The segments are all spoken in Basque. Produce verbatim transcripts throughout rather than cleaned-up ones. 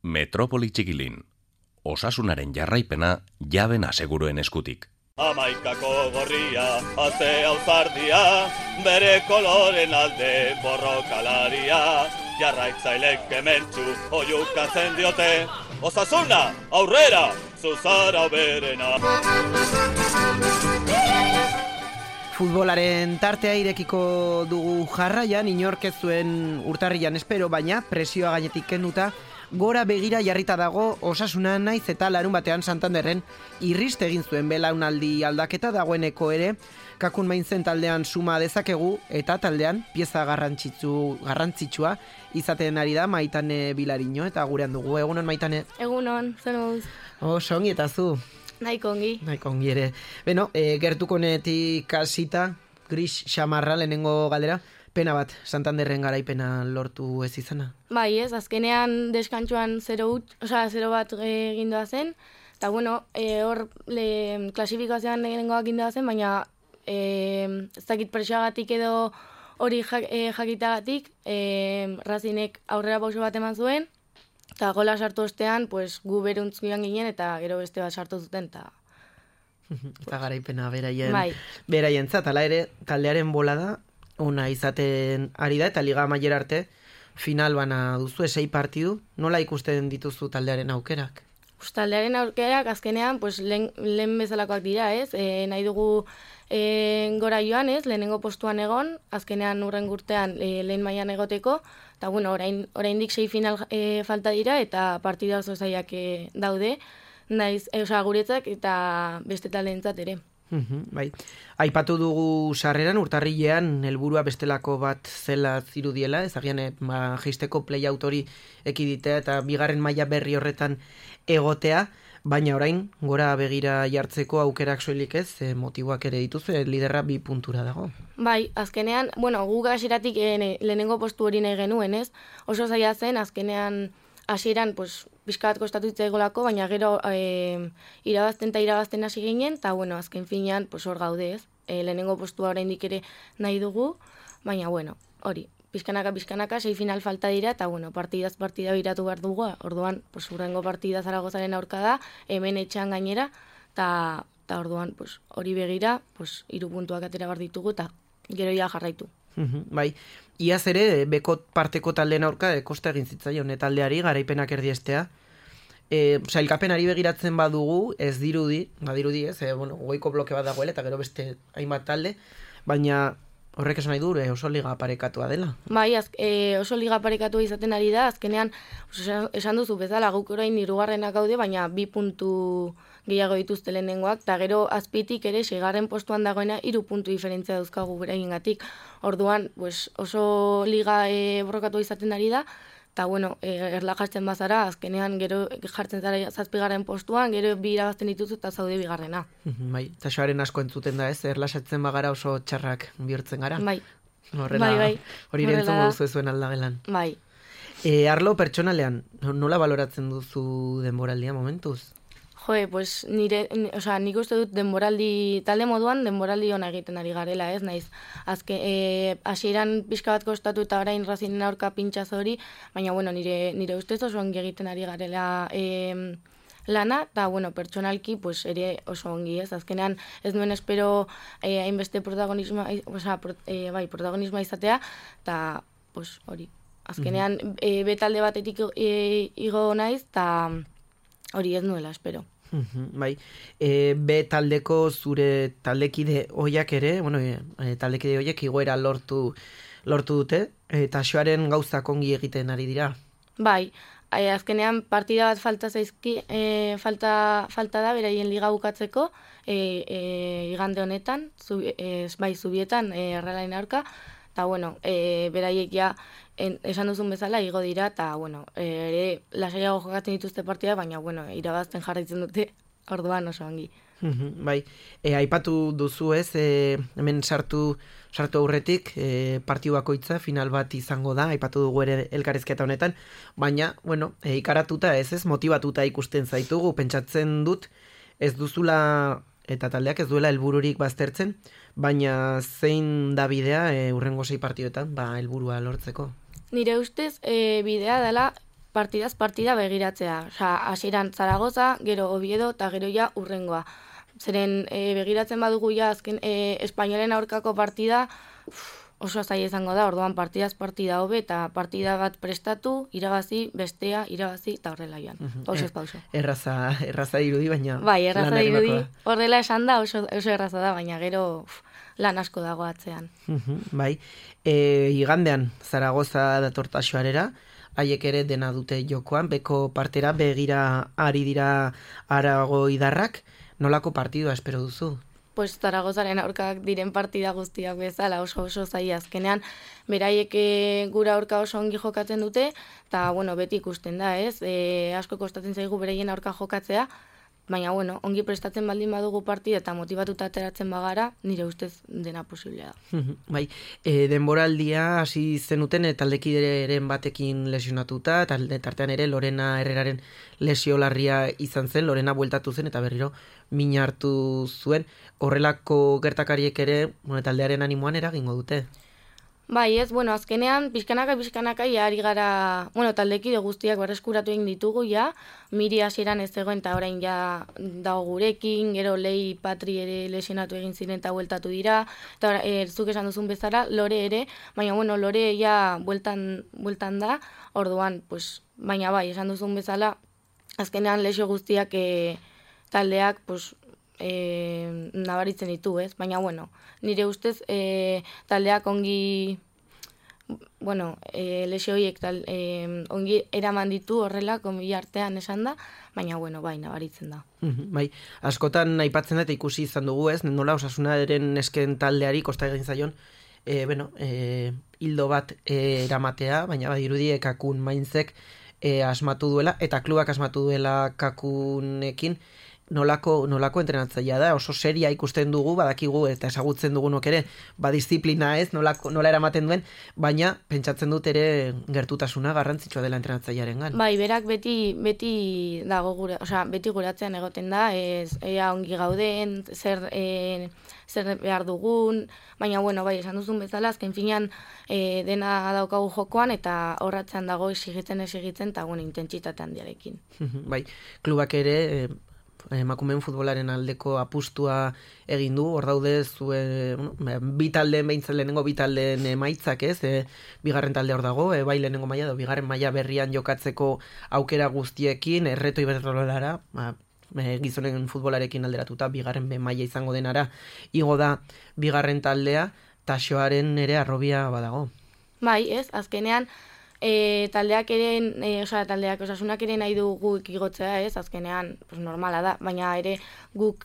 Metropoli Txikilin. Osasunaren jarraipena jaben aseguruen eskutik. Amaikako gorria, aze auzardia, bere koloren alde borrokalaria, jarraitzailek kementxu oiukatzen diote, osasuna, aurrera, zuzara berena. Futbolaren tartea irekiko dugu jarraian, inork ez zuen urtarrian espero, baina presioa gainetik kenduta, gora begira jarrita dago Osasuna naiz eta larun batean Santanderren irrist egin zuen belaunaldi aldaketa dagoeneko ere, Kakun Mainzen taldean suma dezakegu eta taldean pieza garrantzitsu garrantzitsua izaten ari da Maitane Bilariño eta gurean dugu. Egunon Maitane. Egunon, zen moduz. Oso ongi eta zu. Nahiko ongi. Nahiko ongi ere. Beno, e, gertukonetik kasita, gris xamarra lehenengo galdera. Pena bat, Santanderren garaipena lortu ez izana? Bai, ez, azkenean deskantxuan zero, oza, zero bat egindoa zen, eta bueno, e, hor le, klasifikazioan lehenengoak egindoa zen, baina e, ez dakit presioagatik edo hori jak, e, jakitagatik, e, Razinek aurrera pauso bat eman zuen, eta gola sartu ostean, pues, gu beruntz joan ginen, eta gero beste bat sartu zuten, eta... eta garaipena beraien, bai. Beraien zat, ala ere, taldearen bolada, ona izaten ari da, eta liga amaiera arte final bana duzu, esei partidu, nola ikusten dituzu taldearen aukerak? Pues, taldearen aukerak azkenean pues, lehen, lehen bezalakoak dira, ez? E, nahi dugu e, gora joan, ez? Lehenengo postuan egon, azkenean urren gurtean e, lehen mailan egoteko, eta bueno, orain, oraindik sei final e, falta dira, eta partida oso zaiak e, daude, naiz, e, oza, guretzak eta beste taldeentzat ere. Uhum, bai. Aipatu dugu sarreran urtarrilean helburua bestelako bat zela zirudiela, ezagian ba, jeisteko play-out hori ekiditea eta bigarren maila berri horretan egotea, baina orain gora begira jartzeko aukerak soilik ez, e, motiboak ere dituzu, e, liderra bi puntura dago. Bai, azkenean, bueno, gu gasiratik e, lehenengo postu hori nahi genuen, ez? Oso zaila zen, azkenean hasieran, pues, pixka bat kostatu itzaigolako, baina gero e, irabazten eta irabazten hasi ginen, eta bueno, azken finean, pues, hor gaude ez. E, lehenengo postua oraindik ere nahi dugu, baina bueno, hori, pixkanaka, pixkanaka, sei final falta dira, eta bueno, partidaz partida biratu behar dugu, orduan, pues, urrengo partida Zaragozaren aurka da, hemen etxean gainera, eta orduan, pues, hori begira, pues, hiru puntuak atera behar ditugu, eta gero ja jarraitu. Uhum, bai, iaz ere, beko parteko taldeen aurka, e, kosta egin zitzaion, e, taldeari, garaipenak erdiestea. E, sailkapenari begiratzen badugu, ez dirudi, badirudi ez, e, bueno, goiko bloke bat dagoela, eta gero beste hainbat talde, baina horrek esan nahi du, e, oso liga parekatua dela. Bai, az, e, oso liga parekatua izaten ari da, azkenean, oso, esan duzu bezala, guk orain hirugarrenak gaude, baina bi puntu gehiago dituzte lehenengoak, eta gero azpitik ere seigarren postuan dagoena hiru puntu diferentzia dauzkagu beraiengatik. Orduan, pues, oso liga e, borrokatu izaten ari da, eta bueno, e, erla jartzen bazara, azkenean gero jartzen zara zazpigarren postuan, gero bi irabazten dituzu eta zaude bigarrena. Bai, eta soaren asko entzuten da ez, erlasatzen bagara oso txarrak bihurtzen gara. Bai, Horrela, bai, bai. Hori rentzungo duzu zuen aldagelan. Bai. E, arlo pertsonalean, nola baloratzen duzu denboraldia momentuz? Jo, pues nire, o sea, nik uste dut denboraldi, talde moduan denboraldi ona egiten ari garela, ez naiz. Azke, e, hasieran pixka bat kostatu eta orain Razinen aurka pintxaz hori, baina bueno, nire, nire ustez oso ongi egiten ari garela e, lana, eta bueno, pertsonalki pues, ere oso ongi, ez. Azkenean ez nuen espero e, hainbeste protagonismoa, o sea, pro, e, bai, protagonismoa izatea, eta pues, hori. Azkenean mm-hmm. e, betalde batetik e, igo naiz, eta hori ez nuela espero. Bai, e, be taldeko zure taldekide hoiak ere, bueno, e, taldekide hoiek igoera lortu lortu dute, eta xoaren gauzak ongi egiten ari dira. Bai, e, azkenean partida bat falta zaizki, e, falta, falta da beraien liga bukatzeko, e, e, igande honetan, zubi, e, bai, zubietan, e, errelain aurka, eta bueno, e, beraiek ja En, esan duzun bezala, igo dira, eta, bueno, ere, lasaiago jokatzen dituzte partida, baina, bueno, irabazten jarraitzen dute, orduan oso ongi. Mm-hmm, bai, e, aipatu duzu ez, e, hemen sartu, sartu aurretik, e, partidu bakoitza, final bat izango da, aipatu dugu ere elkarrizketa honetan, baina, bueno, e, ikaratuta ez ez, motibatuta ikusten zaitugu, pentsatzen dut, ez duzula eta taldeak ez duela helbururik baztertzen, baina zein da bidea e, urrengo sei partidoetan, ba, helburua lortzeko? Nire ustez, e, bidea dela partidaz partida begiratzea. Osa, hasieran Zaragoza, gero Oviedo, eta gero ja urrengoa. Zeren e, begiratzen badugu ja azken e, Espainolen aurkako partida, uf, oso zaila izango da, orduan partidaz partida hobe eta partida bat prestatu, irabazi, bestea, irabazi, eta horrela joan. Uh-huh. Pausez pauso. Erraza, erraza irudi, baina... Bai, erraza lan irudi, egindakoa. horrela esan da, oso, oso erraza da, baina gero uf, lan asko dago atzean. Uh-huh, bai, e, igandean Zaragoza datortaxoarera, haiek ere dena dute jokoan, beko partera begira ari dira Arago idarrak, nolako partidua espero duzu? Pues Zaragozaren aurkak diren partida guztiak bezala oso oso zaila azkenean, beraiek e, gura aurka oso ongi jokatzen dute, eta bueno, beti ikusten da, ez? E, asko kostatzen zaigu beraien aurka jokatzea, baina bueno, ongi prestatzen baldin badugu partida eta motibatuta ateratzen bagara, nire ustez dena posiblea da. Bai, e, denboraldia hasi zenuten e, taldekideren batekin lesionatuta, talde tartean ere Lorena Herreraren lesio larria izan zen, Lorena bueltatu zen eta berriro min hartu zuen, horrelako gertakariek ere bueno, taldearen animoan eragingo dute. Bai, ez, bueno, azkenean, pixkanaka, pixkanaka, ja, ari gara, bueno, taldekide guztiak berreskuratu egin ditugu, ja, Miri hasieran ez zegoen, eta orain ja dago gurekin, gero Lei Patri ere lesionatu egin ziren eta bueltatu dira, eta e, zuk esan duzun bezala, Lore ere, baina, bueno, Lore ja bueltan, bueltan da, orduan, pues, baina bai, esan duzun bezala, azkenean lesio guztiak e, taldeak, pues, E, nabaritzen ditu, ez? Baina, bueno, nire ustez e, taldeak ongi, bueno, e, lesio horiek tal, e, ongi eraman ditu horrela, konbi artean esan da, baina, bueno, bai, nabaritzen da. Mm-hmm, bai, askotan aipatzen da eta ikusi izan dugu, ez? Nola Osasunaren esken taldeari kosta egin zaion, e, bueno, e, hildo bat e, eramatea, baina badirudi Kakun Mainzek e, asmatu duela, eta klubak asmatu duela Kakunekin, nolako, nolako entrenatzailea da, oso seria ikusten dugu, badakigu eta ezagutzen dugunok ere, badisiplina ez, nolako, nola eramaten duen, baina pentsatzen dut ere gertutasuna garrantzitsua dela entrenatzailearengan. Bai, berak beti beti dago gure, osea, beti guratzean egoten da, ez ea ongi gauden, zer e, zer behar dugun, baina bueno, bai, esan duzun bezala, azken finean e, dena daukagu jokoan eta horratzean dago exigitzen exigitzen eta bueno, intentsitate handiarekin. Bai, klubak ere e, emakumeen futbolaren aldeko apustua egin du, hor daude zue, bueno, bi taldeen behintzen lehenengo bi taldeen emaitzak ez, e, bigarren talde hor dago, e, bai lehenengo maila, bigarren maila berrian jokatzeko aukera guztiekin, erreto iberdrolara, ba, e, gizonen futbolarekin alderatuta, bigarren be maila izango denara, igo da bigarren taldea, Taxoaren ere arrobia badago. Bai, ez, azkenean, E, taldeak ere, e, osea, taldeak Osasunak ere nahi du guk igotzea, ez, azkenean, pues, normala da, baina ere guk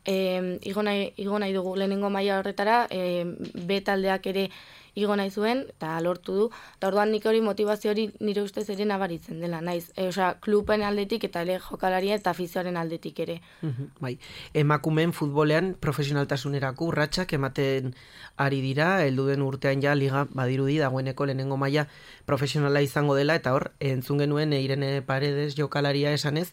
e, igo, nahi, igo nahi dugu lehenengo maila horretara, e, B taldeak ere igo nahi zuen, eta lortu du, eta orduan nik hori motivazio hori nire ustez ere nabaritzen dela, naiz, e, osea, kluben aldetik eta ere jokalaria eta afizioaren aldetik ere. Uh-huh, bai, emakumeen futbolean profesionaltasunerako urratsak ematen ari dira, heldu den urtean ja liga badirudi dagoeneko lehenengo maila profesionala izango dela, eta hor, entzun genuen Irene Paredes jokalaria esanez,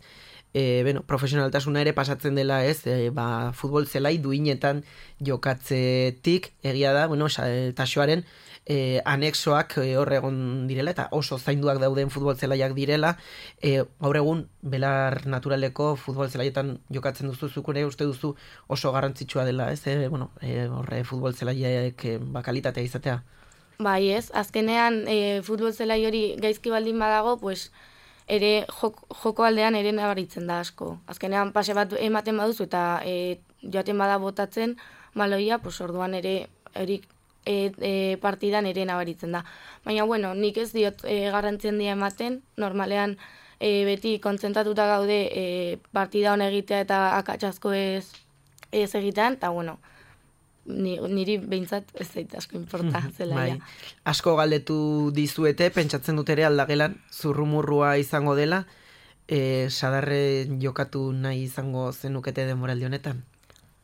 E, bueno, profesionaltasuna ere pasatzen dela ez, e, ba, futbol zelai duinetan jokatzetik, egia da, bueno, Taxoaren e, anexoak e, hor egon direla, eta oso zainduak dauden futbol zelaiak direla, e, gaur egun, belar naturaleko futbol zelaietan jokatzen duzu, zuk ere uste duzu oso garrantzitsua dela, ez, e, bueno, e, horre futbol zelaiek e, ba, kalitatea izatea. Bai ez, azkenean e, futbol zelai hori gaizki baldin badago, pues, ere joko, joko aldean ere nabaritzen da asko. Azkenean pase bat ematen baduzu eta e, joaten bada botatzen baloia, pues orduan ere erik e, e, partidan ere nabaritzen da. Baina bueno, nik ez diot e, garrantzien dia ematen, normalean e, beti konzentratuta gaude e, partida hon egitea eta akatsasko ez, ez egitean, eta bueno, Ni, niri behintzat ez zait asko importa zelaia. Bai. Asko galdetu dizuete, pentsatzen dut ere aldagelan zurrumurrua izango dela, e, sadarre jokatu nahi izango zenukete denboraldi honetan?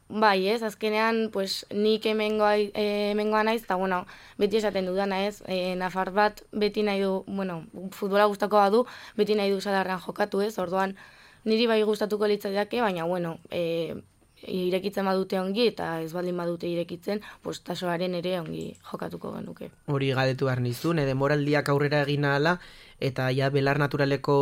Bai, ez, azkenean, pues, nik hemengoa, e, hemengoa naiz, eta, bueno, beti esaten dudana, ez, e, nafar bat beti nahi du, bueno, futbola gustako badu, beti nahi du sadarrean jokatu, ez, orduan, niri bai gustatuko litzaiake, baina, bueno, e, irekitzen badute ongi, eta ez baldin badute irekitzen, pues tasoaren ere ongi jokatuko genuke. Hori galdetu behar nizun, edo moraldiak aurrera egin ahala, eta ja belar naturaleko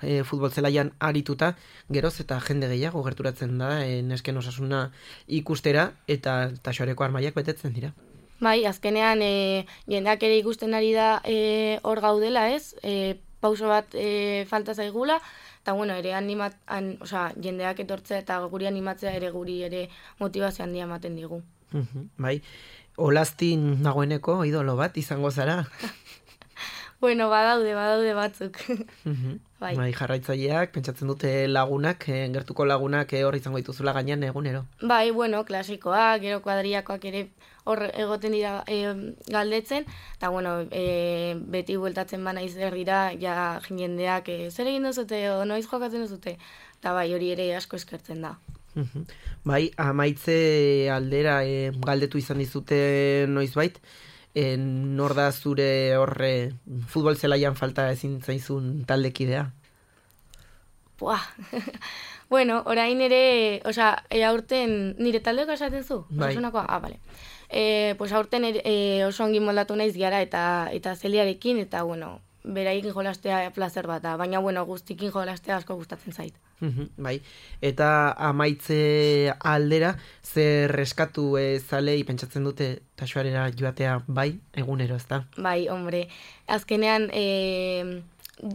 e, futbol zelaian arituta, geroz eta jende gehiago gerturatzen da, e, nesken osasuna ikustera, eta tasoareko armaiak betetzen dira. Bai, azkenean e, jendeak ere ikusten ari da e, hor gaudela, ez? E, pauso bat e, falta zaigula, eta bueno, ere animat, an, osea, jendeak etortzea eta guri animatzea ere guri ere motivazio handia ematen digu. Uh-huh, bai, Olastin nagoeneko idolo bat izango zara. Bueno, badaude, badaude batzuk. Uh-huh. Bai. Bai, jarraitzaileak, pentsatzen dute lagunak, eh, gertuko lagunak eh, hor izango dituzula gainean egunero. Bai, bueno, klasikoak, gero kuadriakoak ere hor egoten dira e, galdetzen, eta bueno, e, beti bueltatzen bana izber dira, ja jendeak e, zer egin duzute, o noiz jokatzen duzute, eta bai, hori ere asko eskertzen da. Uh-huh. Bai, amaitze aldera e, galdetu izan dizute noizbait, e, nor da zure horre futbol zelaian falta ezin zaizun taldekidea? Buah, bueno, orain ere, osea, e, aurten nire taldeko esaten zu? Bai. Osasunakoa? Ah, bale. E, pues aurten ere, e, oso ongi moldatu naiz gara eta eta zeliarekin, eta bueno, beraikin jolastea plazer bat da, baina bueno, guztikin jolastea asko gustatzen zait. Uh-huh, bai, eta amaitze aldera, zer eskatu e, zalei pentsatzen dute taxoarera joatea bai, egunero, ezta? Bai, hombre, azkenean e,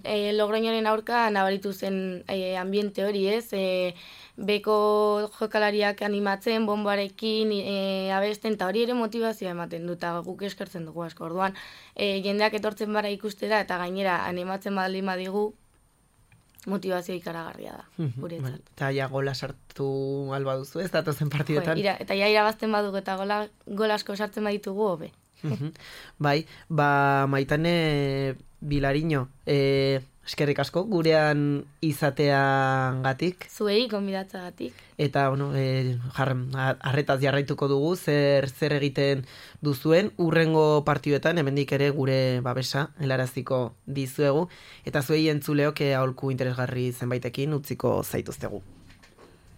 e, Logroñoren aurka nabaritu zen e, ambiente hori, ez? E, beko jokalariak animatzen, bombarekin, e, abesten, eta hori ere motivazioa ematen du, eta guk eskertzen dugu asko. Orduan, e, jendeak etortzen bara ikustera, eta gainera animatzen baldin badigu, motivazio ikaragarria da, guretzat. Eta ja gola sartu alba duzu, ez datozen partidetan? Jo, ira, eta ja irabazten badugu eta gola, gola asko sartzen baditugu, hobe. Bai, ba Maitane Bilariño, e, eskerrik asko gurean izateagatik. Zuei gonbidatzagatik. Eta bueno, e, jar, arretaz jarraituko dugu zer zer egiten duzuen urrengo partiduetan, hemendik ere gure babesa helaraziko dizuegu eta zuei entzuleok aholku interesgarri zenbaitekin utziko zaituztegu.